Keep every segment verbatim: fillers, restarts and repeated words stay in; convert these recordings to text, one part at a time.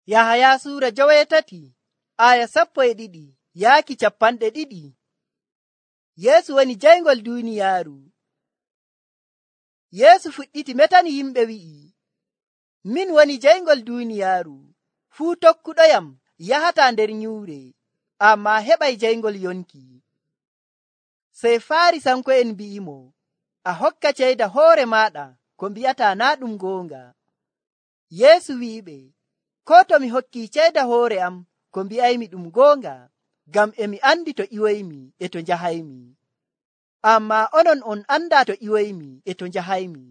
Yahaya suura joweetati aya sappo e ɗiɗi yaaki cappanɗe ɗiɗi. Yeesu woni jayngol duuniyaaru. Yeesu fuɗɗiti metani yimɓe wi'i, min woni jayngol duuniyaaru. Fuu tokkuɗoyam yahataa nder nyuure, ammaa heɓay jayngol yonki. Sey Faarisanko'en mbi'imo, a hokka ceyda hoore maaɗa ko mbi'ataa naa ɗum goonga. Yeesu wi'iɓe, koo to mi hokkii ceyda hoore am ko mbi'aymi ɗum goonga, ngam e mi andi to iwoymi e to njahaymi. Ammaa onon on andaa to iwoymi e to njahaymi.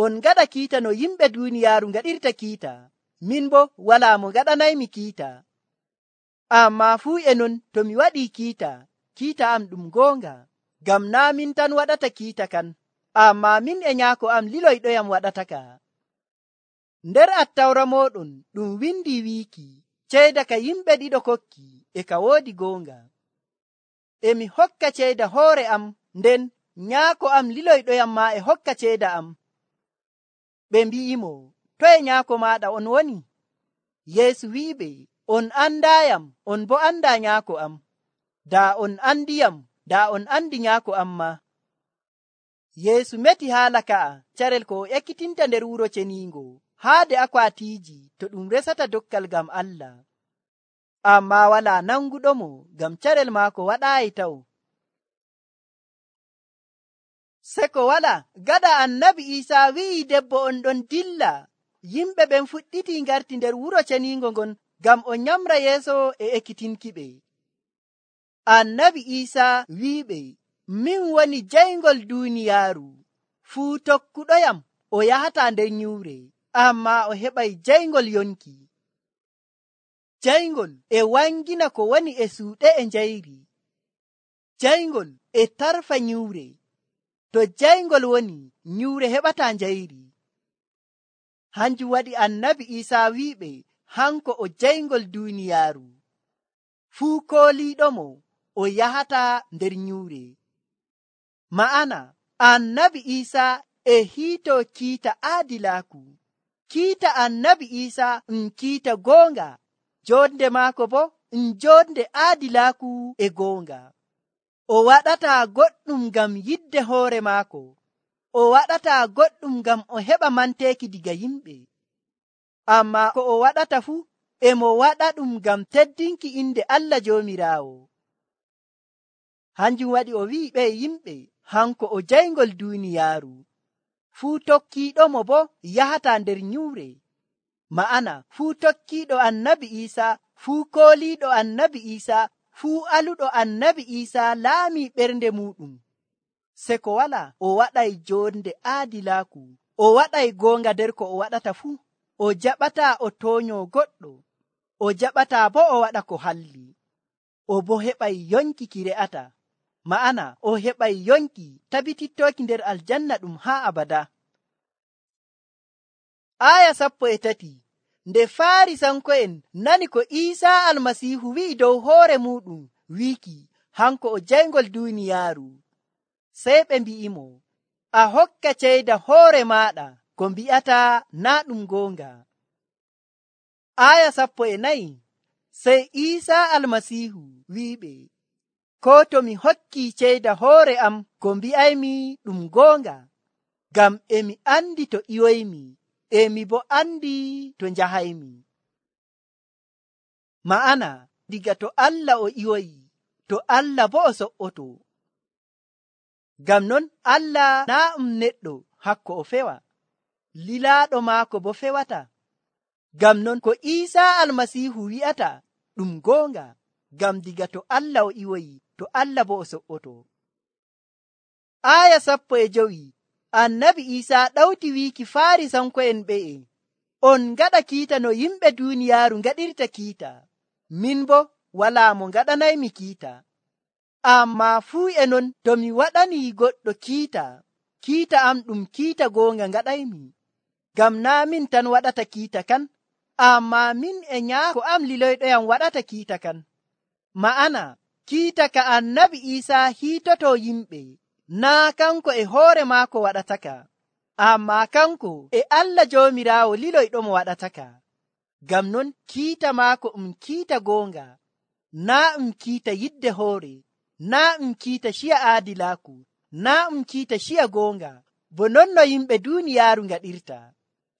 On ngaɗa kiita no yimɓe duuniyaaru ngaɗirta kiita, min boo walaa mo ngaɗanaymi kiita. Ammaa fuu e non to mi waɗii kiita, kiita am ɗum goonga, ngam naa min tan waɗata kiita kan, ammaa min e Nyaako am liloyɗoyam waɗataka. Nder Attawra mooɗon ɗum windi wiiki, ceyda ka yimɓe ɗiɗo kokki e ka woodi goonga. E mi hokka ceyda hoore am, nden Nyaako am liloyɗoyam maa e hokka ceyda am. Ɓe mbi'imo, toye Nyaako maaɗa on woni? Yeesu wi'iɓe, on andaayam, on boo andaa Nyaako am. Daa on andiyam, daa on andi Nyaako am maa. Yeesu meti haala ka'a carel ko o ekkitinta nder wuro ceniingo haade akwaatiiji to ɗum resata dokkal ngam Allah. Ammaa walaa nanguɗomo ngam carel maako waɗaayi taw. Seko wala gada annabi Iisaa wi'i debbo on ɗon dilla, yimɓe ɓen fuɗɗiti ngarti nder wuro ceniingo ngon ngam o nyamra yeeso e ekkitinkiɓe. Annabi Iisaa wi'iɓe, min woni jayngol duuniyaaru. Fuu tokkuɗoyam o yahataa nder nyuure, ammaa o heɓay jayngol yonki. Jayngol e wangina ko woni e suuɗe e njayri. Jayngol e tarfa nyuure. To jayngol woni, nyuure heɓataa njayri. Hanjum waɗi annabi Iisaa wi'iɓe, hanko o jayngol duuniyaaru. Fuu kooliiɗomo o yahataa nder nyuure. Ma'ana, annabi Iisaa e hiitoo kiita aadilaaku. Kiita annabi Iisaa um kiita goonga, joonde maako bo um joonde aadilaaku e goonga. O waɗataa goɗɗum ngam yidde hoore maako. O waɗataa goɗɗum ngam o heɓa manteeki diga yimɓe. Ammaa ko o waɗata fuu, e mo waɗa ɗum ngam teddinki inde Allah Joomiraawo. Hanjum waɗi o wi'i ɓe yimɓe, hanko o jayngol duuniyaaru. Fuu tokkiiɗomo bo yahataa nder nyuure. Ma'ana, fuu tokkiiɗo annabi Iisaa, fuu kooliiɗo annabi Iisaa, fuu aluɗo annabi Iisaa laamii ɓernde muuɗum. Seko wala o waɗay joonde aadilaaku. O waɗay goonga nder ko o waɗata fuu. O jaɓataa o tooñoo goɗɗo. O jaɓataa bo o waɗa ko halli. O bo heɓay yonki ki re'ata. Ma'ana, o heɓay yonki tabitittooki nder aljanna ɗum haa abada. Aya sappo e tati. Nde Faarisanko'en nani ko Iisaa Almasiihu wi'i dow hoore muuɗum, wiiki, hanko o jayngol duuniyaaru. Sey ɓe mbi'imo, a hokka ceyda hoore maaɗa ko mbi'ataa naa ɗum goonga. Aya sappo e nayi. Sey Iisaa Almasiihu wi'iɓe, koo to mi hokkii ceyda hoore am ko mbi'aymi ɗum goonga, ngam e mi andi to iwoymi, e mi bo andi to njahaymi. Ma'ana, diga to Allah o iwoyi, to Allah bo o so'oto. Ngam non Allah naa um neɗɗo hakko o fewa, lilaaɗo maako bo fewata. Ngam non ko Iisaa Almasiihu wi'ata ɗum goonga, ngam diga to Allah o iwoyi, to Allah bo o so'oto. Aya sappo e jowi. Annabi Iisaa ɗawti wiiki Faarisanko'en ɓe'e, on ngaɗa kiita no yimɓe duuniyaaru ngaɗirta kiita, min bo walaa mo ngaɗanaymi kiita. Ammaa fuu e non to mi waɗanii goɗɗo kiita, kiita am ɗum kiita goonga ngaɗaymi, ngam naa min tan waɗata kiita kan, ammaa min e Nyaako am liloyɗoyam waɗata kiita kan. Ma'ana, kiita ka annabi Iisaa hiitotoo yimɓe, naa kanko e hoore maako waɗataka, ammaa kanko e Allah Joomiraawo liloyɗomo waɗataka. Ngam non kiita maako um kiita goonga, naa um kiita yidde hoore, naa um kiita ciya aadilaaku, naa um kiita ciya goonga, bo non no yimɓe duuniyaaru ngaɗirta.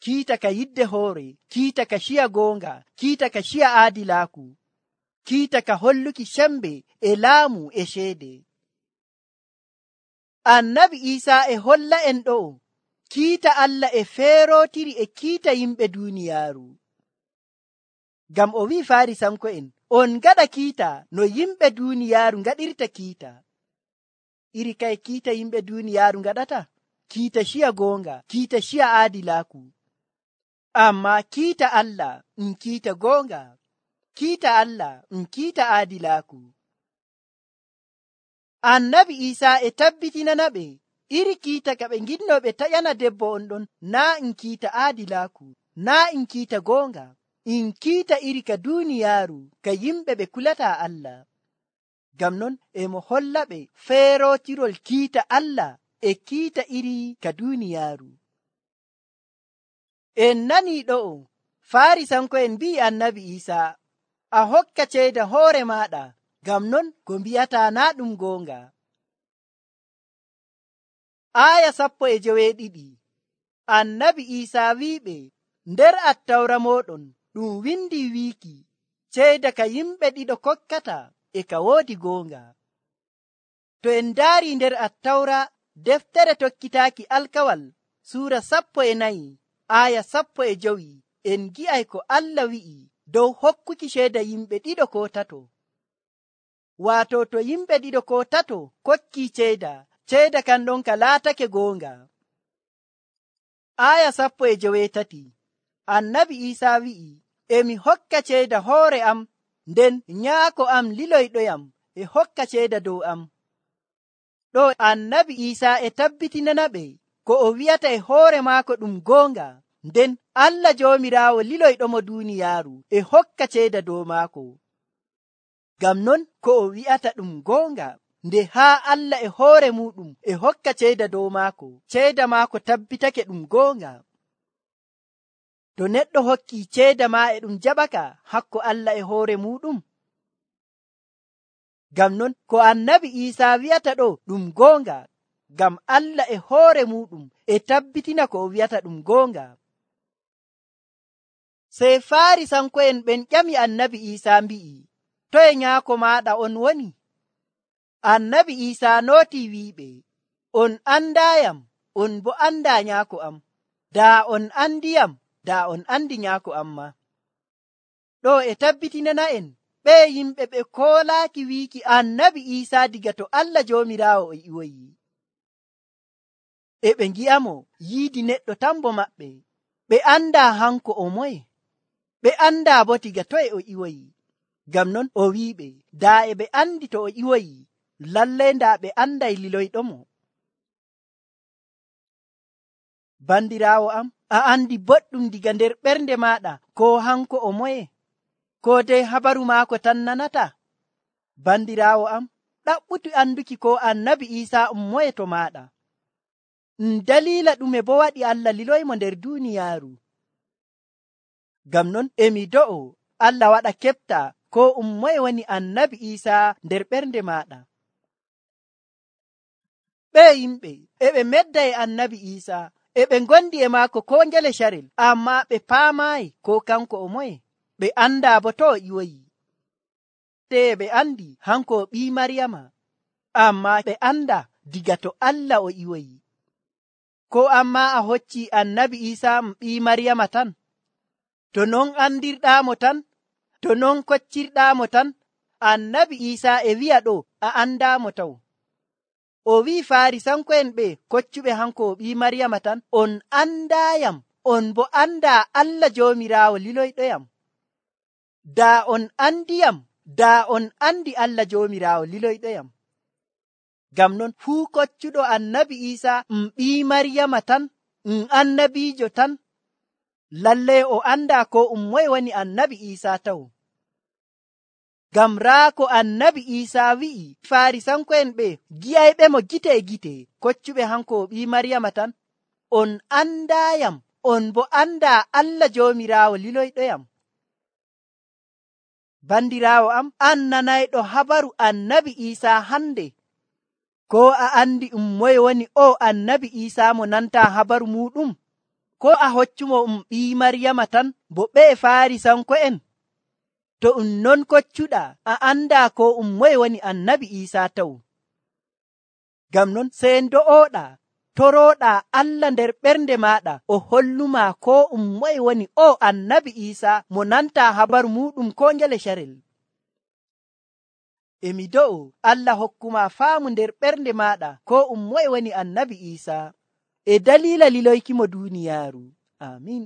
Kiita ka yidde hoore, kiita ka ciya goonga, kiita ka ciya aadilaaku, kiita ka holluki sembe e laamu e ceede. Annabi Iisaa e holla en ɗo kiita Allah e feerootiri e kiita yimɓe duuniyaaru. Ngam o wi'i Faarisanko'en, on ngaɗa kiita no yimɓe duuniyaaru ngaɗirta kiita. Iri kay kiita yimɓe duuniyaaru ngaɗata, kiita ciya goonga, kiita ciya aadilaaku. Amma kiita Allah um kiita goonga, kiita Allah um kiita aadilaaku. Annabi Iisaa e tabbitinana ɓe iri kiita ka ɓe nginno ɓe taƴana debbo on ɗon naa um kiita aadilaaku, naa um kiita goonga, in kiita iri ka duuniyaaru ka yimɓe ɓe kulata Allah. Ngam non e mo holla ɓe feerootirol kiita Allah e kiita iri ka duuniyaaru. En nanii ɗo'o Faarisanko'en mbi'i Annabi Iisaa, a hokka ceeda hoore maaɗa, ngam non ko mbi'ata naa ɗum goonga. Aaya sappo e joweeɗiɗi. Annabi Iisaa wi'iɓe, nder Attawra mooɗon ɗum windi wiiki ceeda ka yimɓe ɗiɗo kokkata e ka woodi goonga. To en ndaari nder Attawra deftere tokkitaaki alkawal suura sappo e nayi aaya sappo e jowi, en gi'ay ko Allah wi'i dow hokkuki ceeda yimɓe ɗiɗo ko tato. Waato to yimɓe ɗiɗo ko tato kokki ceeda, ceeda kan ɗon ka laatake goonga. Aaya sappo e joweetati. Annabi Iisaa wi'i, emi hokka ceeda hoore am, nden nyaako am liloyɗoyam e hokka ceeda dow am. Ɗo Annabi Iisaa e tabbitinana ɓe ko o wi'ata e hoore maako ɗum goonga, nden Allah Joomiraawo liloyɗomo duuniyaaru e hokka ceeda dow maako. Ngam non ko o wi'ata ɗum goonga, nde haa Allah e hoore muɗum e hokka ceeda dow maako, ceeda maako tabbitake ɗum goonga. To neɗɗo hokki ceeda ma e ɗum jaɓaka hakko Allah e hoore muɗum. Ngam non ko Annabi Iisaa wi'ata ɗo ɗum goonga, ngam Allah e hoore muɗum e tabbitina ko o wi'ata ɗum goonga. Sey Faarisanko'en ɓen ƴami Annabi Iisaa mbi'i, toye nyaako maaɗa on woni? Annabi Iisaa nooti wi'iɓe, on andaayam, on bo andaa nyaako am. Daa on andiyam, daa on andi nyaako am ma. Ɗo e tabbitinana en ɓe yimɓe ɓe koolaaki wiiki Annabi Iisaa diga to Allah Joomiraawo o iwoyi. E ɓe ngi'amo yiidi neɗɗo tan bo maɓɓe. Ɓe andaa hanko o moye. Ɓe andaa bo diga toye o iwoyi. Ngam non o wi'iɓe, daa e ɓe andi to o iwoyi, lallai ndaa ɓe anday liloyɗomo. Bandiraawo am, a andi boɗɗum diga nder ɓernde maaɗa ko hanko o moye, ko dey habaru maako tan nanata? Bandiraawo am, ɗaɓɓutu anduki ko Annabi Iisaa um moye to maaɗa. Um daliila ɗume bo waɗi Allah liloymo nder duuniyaaru? Ngam non emi do'o Allah waɗa keɓta ko um moye woni Annabi Iisaa nder ɓernde maaɗa. Ɓe yimɓe e ɓe medda e Annabi Iisaa, e ɓe ngondi e maako ko ngele carel, amma ɓe paamaayi ko kanko o moye. Ɓe andaa bo to o iwoyi. Te ɓe andi hanko o ɓii Maryama, amma ɓe anda diga to Allah o iwoyi. Ko amma a hocci Annabi Iisaa um ɓii Maryama tan? To non andirɗaamo tan? To non koccirɗaamo tan? Annabi Iisaa e wi'a ɗo a andaamo taw. O wi'i Faarisanko'en ɓe koccuɓe hanko o ɓii Maryama tan, on andaayam, on bo andaa Allah Joomiraawo liloyɗoyam. Daa on andiyam, daa on andi Allah Joomiraawo liloyɗoyam. Ngam non fuu koccuɗo Annabi Iisaa um ɓii Maryama tan, um annabiijo tan, lallai o andaa ko um moye woni Annabi Iisaa taw. Ngam raa ko Annabi Iisaa wi'i Faarisanko'en ɓe gi'ayɓe mo gite e gite, koccuɓe hanko o ɓii Maryama tan, on andaayam, on bo andaa Allah Joomiraawo liloyɗoyam. Bandiraawo am, an nanayɗo habaru annabi Iisaa hande? Ko a andi um moye woni o annabi Iisaa mo nanta habaru muɗum? Ko a hoccumo um ɓii Maryama tan bo ɓe Faarisanko'en? To um non koccuɗa, a anda ko um moye woni annabi Iisaa taw. Ngam non sey ndo'oɗa, torooɗa Allah nder ɓernde maɗa o holluma ko um moye woni o annabi Iisaa mo nanta habaru muɗum ko ngele carel. Emi do'o Allah hokkuma faamu nder ɓernde maɗa ko um moye woni annabi Iisaa e dalila liloykimo duniyaaru. Amin.